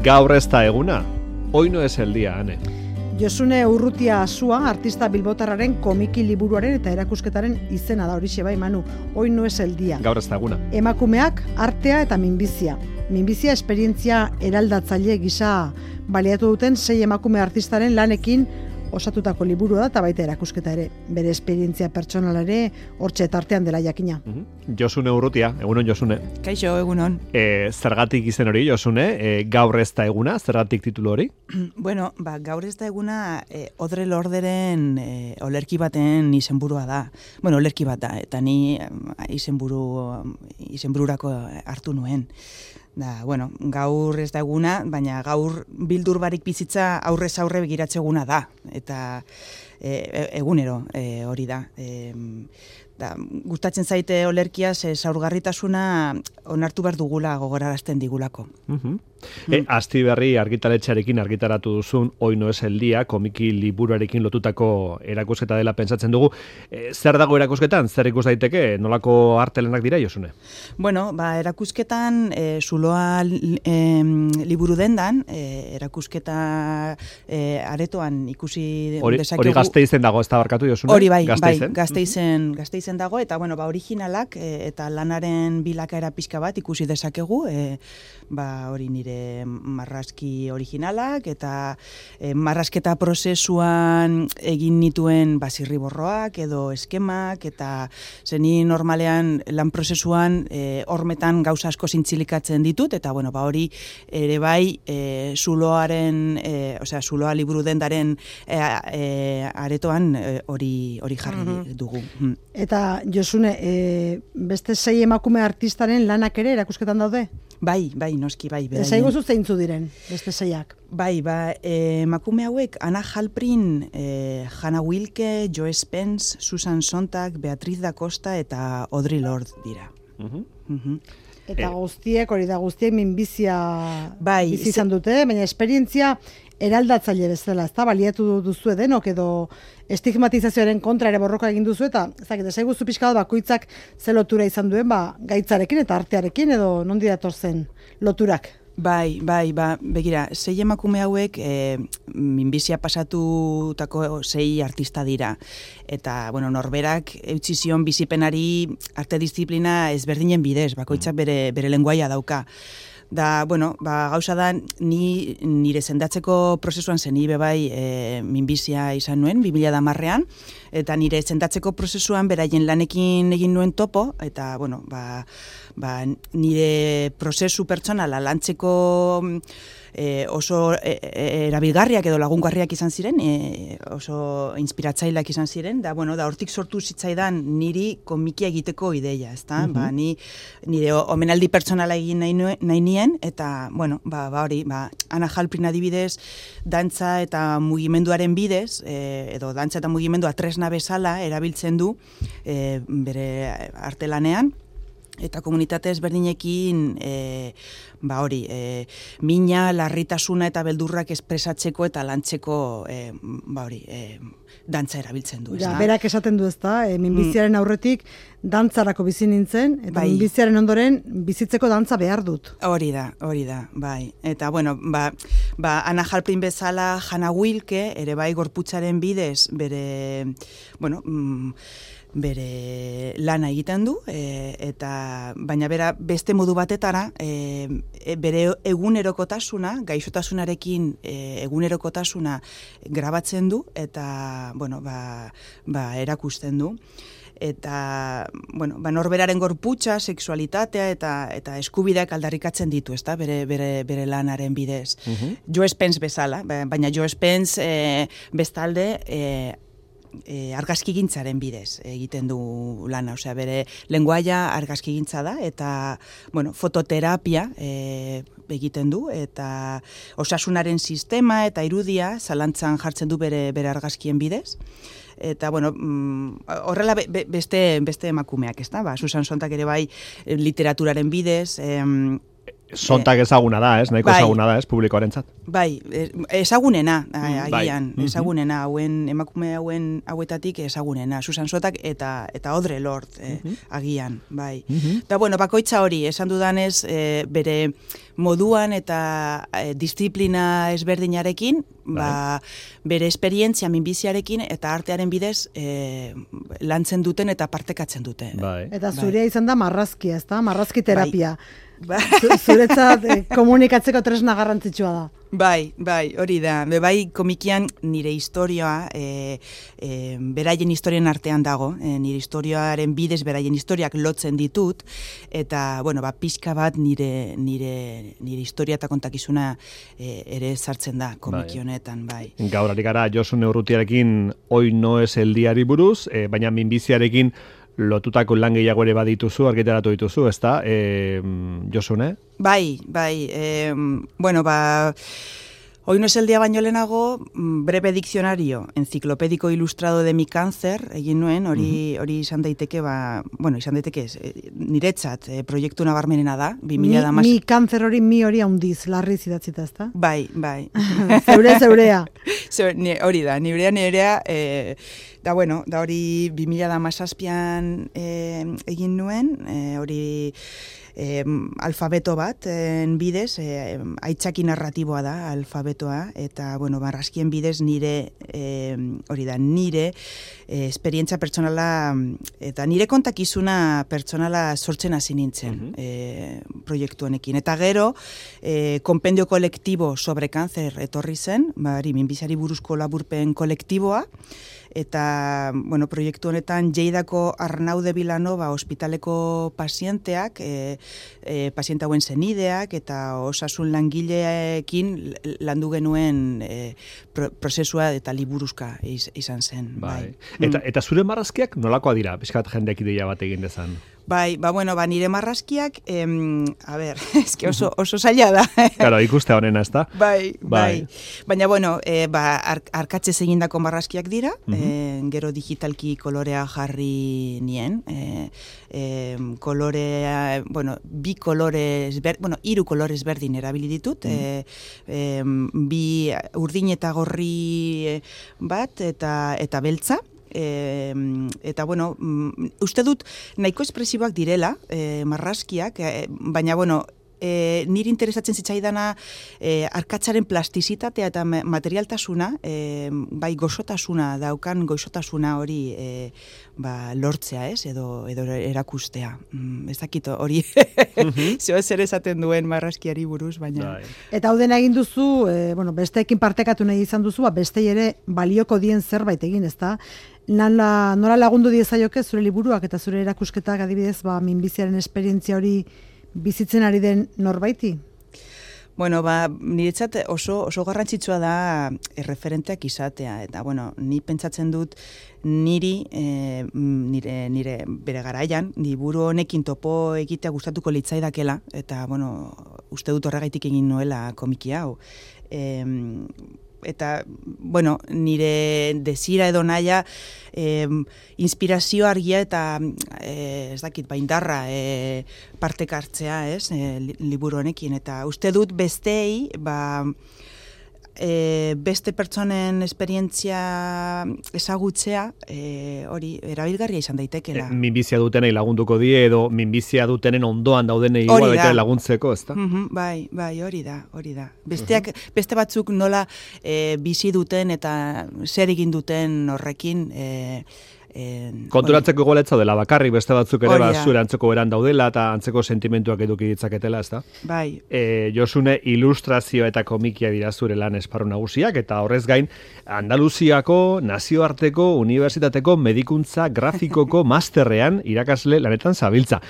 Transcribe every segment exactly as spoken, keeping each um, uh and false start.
Gaur ez da eguna, hoy no es el día, Ane. Josune Urrutia Asua, artista bilbotarraren komiki liburuaren eta erakusketaren izena da, horixe bai, Manu, hoy no es el día. Gaur ez da eguna. Emakumeak, artea eta minbizia. Minbizia esperientzia eraldatzaile gisa baliatu duten sei emakume artistaren lanekin osatutako liburu da eta baita erakusketa ere. Bere esperientzia pertsonala ere hortxe tartean dela jakina. Mm-hmm. Josune Urrutia, egunon Josune. Kaixo, egunon. E, zergatik izen hori, Josune? E, gaur ez da eguna, zergatik titulu hori? Bueno, ba, gaur ez da eguna e, Audre Lorderen e, olerki baten izenburua da. Bueno, olerki bat da, eta ni izenburu, izenbururako hartu nuen. Da, bueno, gaur ez da eguna, baina gaur bildur barik bizitza aurrez aurre begiratze eguna da. Eta e, egunero e, hori da. E, da. Gustatzen zaite olerkia, ze zaurgarritasuna onartu behar dugula gogorarazten digulako. Uh-huh. E, Asti Berri argitaletxearekin argitaratu duzun Hoy no es el día, komiki liburuarekin lotutako erakusketa dela pentsatzen dugu. E, zer dago erakusketan? Zer ikus daiteke? Nolako artelenak dira, Josune? Bueno, ba, erakusketan e, zuloa e, liburu dendan, e, erakusketa e, aretoan ikusi hori, dezakegu. Hori Gasteizen dago, ez da barkatu, Josune? Hori bai, Gasteizen. bai, Gasteizen, Gasteizen dago, eta bueno, ba, originalak e, eta lanaren bilakaera pixka bat ikusi dezakegu, e, ba, hori nire marrazki originalak eta e, marrazketa prozesuan egin nituen basirriborroak edo eskemak eta zeni normalean lan prozesuan e, hormetan gauza asko zintzilikatzen ditut eta bueno, ba hori ere bai e, zuloaren, e, osea zuloa liburu dendaren e, e, aretoan hori e, hori jarri mm-hmm. dugu. Mm. Eta Josune, e, beste sei emakume artistaren lanak ere erakusketan daude? Bai, bai, noski, bai. Ez aiguzu zeintzu diren, beste seiak? Bai, ba, e, emakume hauek, Anna Halprin, e, Hannah Wilke, Joe Spence, Susan Sontag, Beatriz da Costa eta Audre Lorde dira. Uh-huh. Uh-huh. Eta eh. guztiek, hori da guztiek, minbizia bai, bizi izan dute, baina esperientzia eraldatzaile bezala, ez da, baliatu duzu denok edo estigmatizazioaren kontra ere borroka egin duzu eta ezakit, esaiguzu pixka bat bakoitzak ze lotura izan duen ba, gaitzarekin eta artearekin edo nondi dator zen loturak? Bai, bai, ba, begira, sei emakume hauek e, minbizia pasatutako sei artista dira. Eta, bueno, norberak eutsi zion bizipenari arte disiplina ezberdinen bidez, bakoitzak bere, bere lenguaia dauka. Da, bueno, ba, gauza da, ni nire sendatzeko prozesuan zen, ni bebai e, minbizia izan nuen, bi mila hamarrean, eta nire sendatzeko prozesuan beraien lanekin egin nuen topo, eta, bueno, ba, ba, nire prozesu pertsonala lantzeko e, oso e, e, erabilgarriak edo lagungarriak izan ziren, e, oso inspiratzaileak izan ziren, da, bueno, da, hortik sortu zitzaidan niri komikia egiteko ideia, ezta? Uh-huh. Ba, ni, nire omenaldi pertsonala egin nahi, nuen, nahi nien, eta, bueno, ba, ba hori, ba, Anna Halprin adibidez, dantza eta mugimenduaren bidez, e, edo dantza eta mugimendua tresna bezala erabiltzen du e, bere artelanean, eta komunitate ezberdinekin e, ba hori, e, mina, larritasuna eta beldurrak espresatzeko eta lantzeko e, ba hori, e, dantza erabiltzen du. Ja, berak esaten du ezta, e, minbiziaren aurretik dantzarako bizi nintzen, eta bai. Minbiziaren ondoren bizitzeko dantza behar dut. Hori da, hori da, bai. Eta, bueno, ba, ba Anna Halprin bezala Hannah Wilke, ere bai gorputzaren bidez, bere, bueno, mm, bere lana egiten du, e, eta baina bera beste modu batetara, e, e, bere egunerokotasuna, gaixotasunarekin e, egunerokotasuna grabatzen du, eta, bueno, ba, ba erakusten du. Eta, bueno, ba, norberaren gorputza, sexualitatea eta eta eskubideak aldarrikatzen ditu, ezta? Bere, bere, bere lanaren bidez. Uh-huh. Joe Spence bezala, baina Joe Spence e, bestalde e, E, argazkigintzaren bidez egiten du lana, osea bere lenguaia argazkigintza da eta bueno, fototerapia e, egiten du eta osasunaren sistema eta irudia zalantzan jartzen du bere bere argazkien bidez. Eta, bueno, horrela be, be, beste, beste emakumeak, ez da? Ba, Susan Sontag ere bai literaturaren bidez, em, Sontak ezaguna da, ez? Nahiko bai, ezaguna da, ez? Publikoarentzat. Bai, ezagunena, agian, bai. ezagunena, hauen, emakume hauen hauetatik ezagunena, Susan Sontag eta eta Audre Lorde, eh, uh-huh. agian, bai. Uh-huh. Da, bueno, bakoitza hori, esan dudanez, eh, bere moduan eta eh, disiplina ezberdinarekin, bai. ba, bere esperientzia minbiziarekin eta artearen bidez eh, lantzen duten eta partekatzen dute. Bai. Eta zurea bai. izan da marrazkia, ez da? Marrazki terapia. Bai. Zuretzat eh, komunikatzeko tresna garrantzitsua da. Bai, bai, hori da. Be, bai, komikian nire historioa, e, e, beraien historien artean dago, e, nire historioaren bidez beraien historiak lotzen ditut, eta, bueno, ba, pixka bat nire, nire, nire historia eta kontakizuna e, ere sartzen da komiki honetan, bai. Gaur ari gara Josune Urrutiarekin Hoy no es el diari buruz, e, baina minbiziarekin lotutako lan gehiago ere badituzu, argitaratu dituzu, ezta? E, Josune? Bai, bai. E, bueno, ba... Hoy no es el día baino lehenago, breve diccionario enciclopédico ilustrado de mi cáncer, egin nuen, hori hori uh-huh. izan daiteke, ba, bueno, izan daiteke, niretzat, e, proiektu nabarmenena da, bi mila hamasei. Mi, mi cáncer hori, mi hori handiz, larriz idatzita, ezta? Bai, bai. Zeure, zeurea. Zeur, ni, hori da, nirea, nirea, e, da, bueno, da hori bi mila hamazazpian e, egin nuen, e, hori... Eh, alfabeto bat en bidez, eh, aitzaki narratiboa da alfabetoa, eta bueno, marrazkien bidez nire eh, hori da, nire eh, esperientzia pertsonala eta nire kontakizuna pertsonala sortzen hasi nintzen uh-huh. eh, proiektu honekin. Eta gero, eh, konpendio kolektibo sobre cáncer etorri zen, bari, minbiziari buruzko laburpen kolektiboa, eta, bueno, proiektu honetan Lleidako Arnaude Vilanova ospitaleko pazienteak, e, e, paziente hauen zenideak eta osasun langileekin landu genuen e, pro, prozesua eta liburuzka iz, izan zen. Bai. Bai. Eta, eta zure marrazkiak nolakoa dira? Piskat jendeak ideia bat egin dezan. Bai, ba, bueno, ba, nire marrazkiak, em, a ber, eske oso, oso zaila da. Claro, ikuste honena, ez da? Bai, bai, bai. Baina, bueno, e, ba, ar, arkatze egindako marrazkiak dira, uh-huh. e, gero digitalki kolorea jarri nien, e, e, kolorea, bueno, bi kolorez, ber, bueno, hiru kolorez berdin erabili ditut, uh-huh. e, e, bi urdin eta gorri bat, eta, eta beltza, E, eta bueno, uste dut nahiko espresiboak direla e, marrazkiak, e, baina bueno, e, niri interesatzen zitzaidana e, arkatzaren plastizitatea eta materialtasuna, e, bai gozotasuna daukan gozotasuna hori e, ba, lortzea, ez, edo, edo erakustea. Mm, ez dakit hori uh-huh. zeo zer esaten duen marrazkiari buruz, baina... Dai. Eta hau dena egin duzu, e, bueno, besteekin partekatu nahi izan duzu, ba, bestei ere balioko dien zerbait egin, ezta? Nala, nola lagundu diezaioke zure liburuak eta zure erakusketak adibidez, ba, minbiziaren esperientzia hori bizitzen ari den norbaiti? Bueno, ba, niretzat oso, oso garrantzitsua da erreferenteak izatea, eta bueno, ni pentsatzen dut niri, e, nire, nire bere garaian, liburu honekin topo egitea gustatuko litzaidakela, eta bueno, uste dut horregaitik egin nuela komiki hau. E, eta, bueno, nire desira edo naia eh, inspirazio argia eta eh, ez dakit, baindarra eh, partekartzea, ez, eh, liburu honekin, eta uste dut bestei, ba, e, beste pertsonen esperientzia ezagutzea, e, hori erabilgarria izan daitekela. E, minbizia dutenei lagunduko die edo minbizia dutenen ondoan daudenei igual baita laguntzeko, ezta? Mm-hmm, bai, bai, hori da, hori da. Besteak, uh-huh. beste batzuk nola e, bizi duten eta zer egin duten horrekin, e, En, konturatzeko goletza dela bakarrik beste batzuk ere bat zure antzeko beran daudela eta antzeko sentimentuak eduki ditzaketela, ezta? Bai. E, Josune, ilustrazio eta komikia dira zure lan esparru nagusiak eta horrez gain Andaluziako nazioarteko unibertsitateko medikuntza grafikoko masterrean irakasle lanetan zabiltza.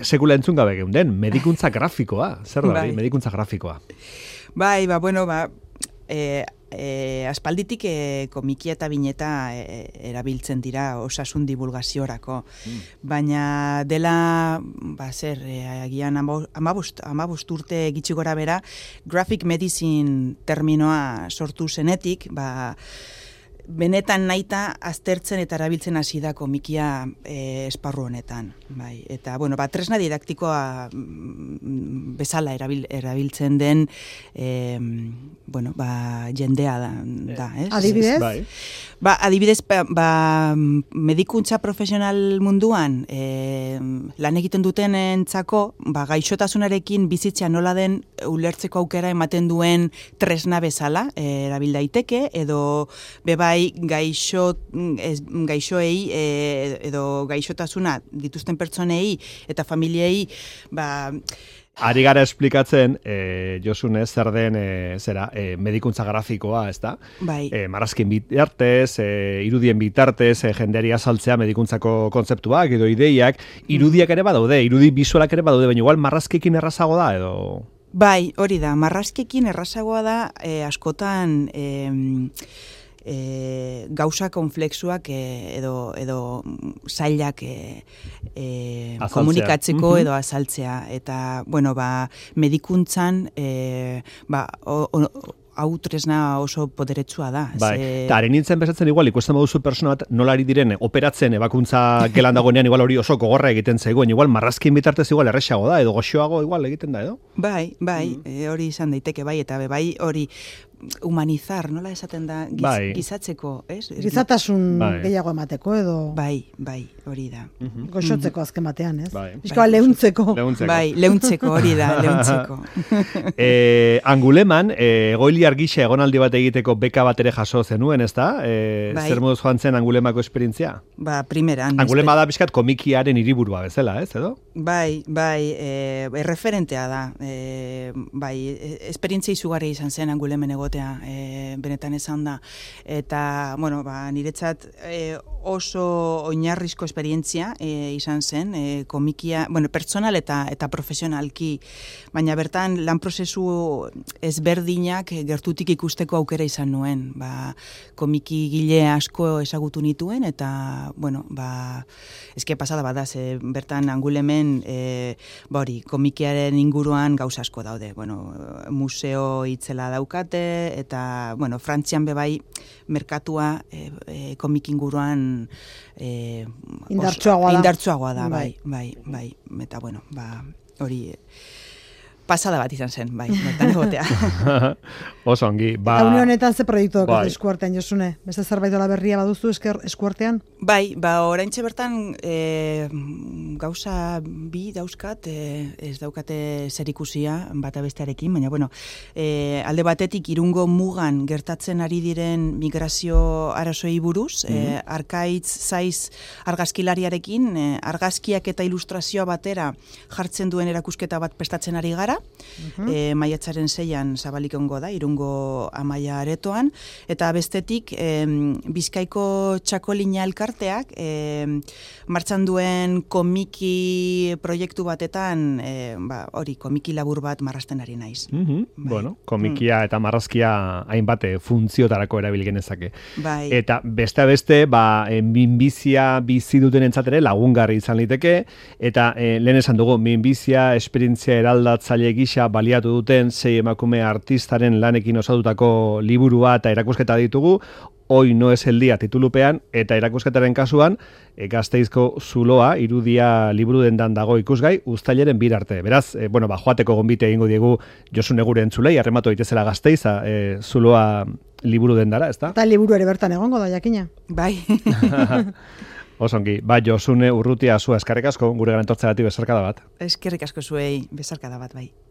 Sekula entzun gabe geunden, medikuntza grafikoa, zer da, bai. medikuntza grafikoa. Bai, ba, bueno, ba, eh, E, aspalditik e, komikia eta bineta e, erabiltzen dira osasun divulgaziorako. Mm. Baina dela, ba, zer, e, agian amabost, amabost urte gitxi gora bera, graphic medicine terminoa sortu zenetik, ba, benetan naita aztertzen eta erabiltzen hasi da komikia e, esparru honetan. Bai. Eta, bueno, ba, tresna didaktikoa mm, bezala erabil, erabiltzen den e, bueno, ba, jendea da, da ez? Adibidez? Bai. Ba, adibidez, ba, ba, medikuntza profesional munduan e, lan egiten duten entzako, ba, gaixotasunarekin bizitzea nola den ulertzeko aukera ematen duen tresna bezala, e, erabil daiteke, edo bebai gaixo, ez, gaixoei e, edo gaixotasuna dituzten pertsonei eta familiei, ba, Ari gara esplikatzen, e, Josune, zer den e, zera, e, medikuntza grafikoa, ez da? Bai. E, marrazkin bitartez, e, irudien bitartez, e, jendeari azaltzea medikuntzako kontzeptuak edo ideiak, irudiak ere badaude, irudi bisualak ere badaude, baina igual marrazkekin errazago da, edo... Bai, hori da, marrazkekin errazagoa da, e, askotan... E, E, gauza konflexuak e, edo, edo zailak e, e, komunikatzeko edo azaltzea. Eta, bueno, ba, medikuntzan e, ba, o, o, hau tresna oso poderetsua da. Bai, Ze... eta haren nintzen bezatzen igual, ikusten baduzu persona bat nolari diren operatzen ebakuntza gelan dagoenean igual hori oso gogorra egiten zegoen, igual marrazkin bitartez igual erresago da, edo goxoago igual egiten da, edo? Bai, bai, mm. e, hori izan daiteke, bai, eta bai hori humanizar, nola esaten da, giz, bai. gizatzeko, ez? Gizatasun bai. gehiago emateko edo... Bai, bai, hori da. Uh-huh. Goxotzeko azken batean, ez? Bai. Bizkoa bai, leuntzeko. leuntzeko. Bai, leuntzeko hori da, leuntzeko. e, Anguleman, e, egoiliar gisa egonaldi bat egiteko beka bat ere jaso zenuen, ez da? E, bai. Zer moduz joan zen Angulemako esperientzia? Ba, primeran. Angulema da pixkat komikiaren hiriburua bezala, ez, edo? Bai, bai, e, erreferentea da. E, bai, esperientzia izugarri izan zen Angulemen egotea, e, benetan esan da. Eta, bueno, ba, niretzat e, oso oinarrizko esperientzia e, izan zen, e, komikia, bueno, pertsonal eta eta profesionalki, baina bertan lan prozesu ezberdinak gertutik ikusteko aukera izan nuen. Ba, komiki gile asko ezagutu nituen, eta, bueno, ba, eske pasada bada, ze bertan Angulemen e, ba hori, komikiaren inguruan gauza asko daude. Bueno, museo itzela daukate, eta, bueno, Frantzian bebai merkatua e, e, komik inguruan e, indartsuagoa da. Indartsuagoa da, bai, bai, bai. Eta, bueno, ba, hori... pasada bat izan zen, bai, bertan egotea. Oso ongi, ba... Eta une honetan ze proiektu daukatu bai. eskuartean, Josune? Beste zerbait dola berria baduzu esker, eskuartean? Bai, ba, oraintxe bertan e, gauza bi dauzkat, e, ez daukate zerikusia bata bestearekin, baina, bueno, e, alde batetik Irungo mugan gertatzen ari diren migrazio arazoei buruz, mm -hmm. e, Arkaitz Zaiz argazkilariarekin, e, argazkiak eta ilustrazioa batera jartzen duen erakusketa bat prestatzen ari gara, Uh-huh. E, maiatzaren seian zabalik ongo da, Irungo Amaia aretoan, eta bestetik e, Bizkaiko Txakolina elkarteak e, martxan duen komiki proiektu batetan, e, ba, hori, komiki labur bat marrasten ari naiz. Uh-huh. Bai. Bueno, komikia eta marrazkia hainbat funtziotarako erabil genezake. Bai. Eta beste beste, ba, minbizia bizi duten entzatere lagungarri izan liteke, eta e, lehen esan dugu, minbizia esperientzia eraldatzaile gisa baliatu duten sei emakume artistaren lanekin osatutako liburua eta erakusketa ditugu, Hoy no es el día titulupean, eta erakusketaren kasuan, e, Gasteizko zuloa, irudia liburu dendan dago ikusgai, uztailaren bir arte. Beraz, e, bueno, ba, joateko gonbite egingo diegu Josune gure entzulei, arrematu daitezela Gasteiza, e, zuloa liburu dendara, ezta? Eta liburu ere bertan egongo da, jakina. Bai. Osongi, ba, Josune Urrutia zua eskerrik asko, gure garantortzagatik bezarkada bat. Eskerrik asko zuei bezarkada bat, bai.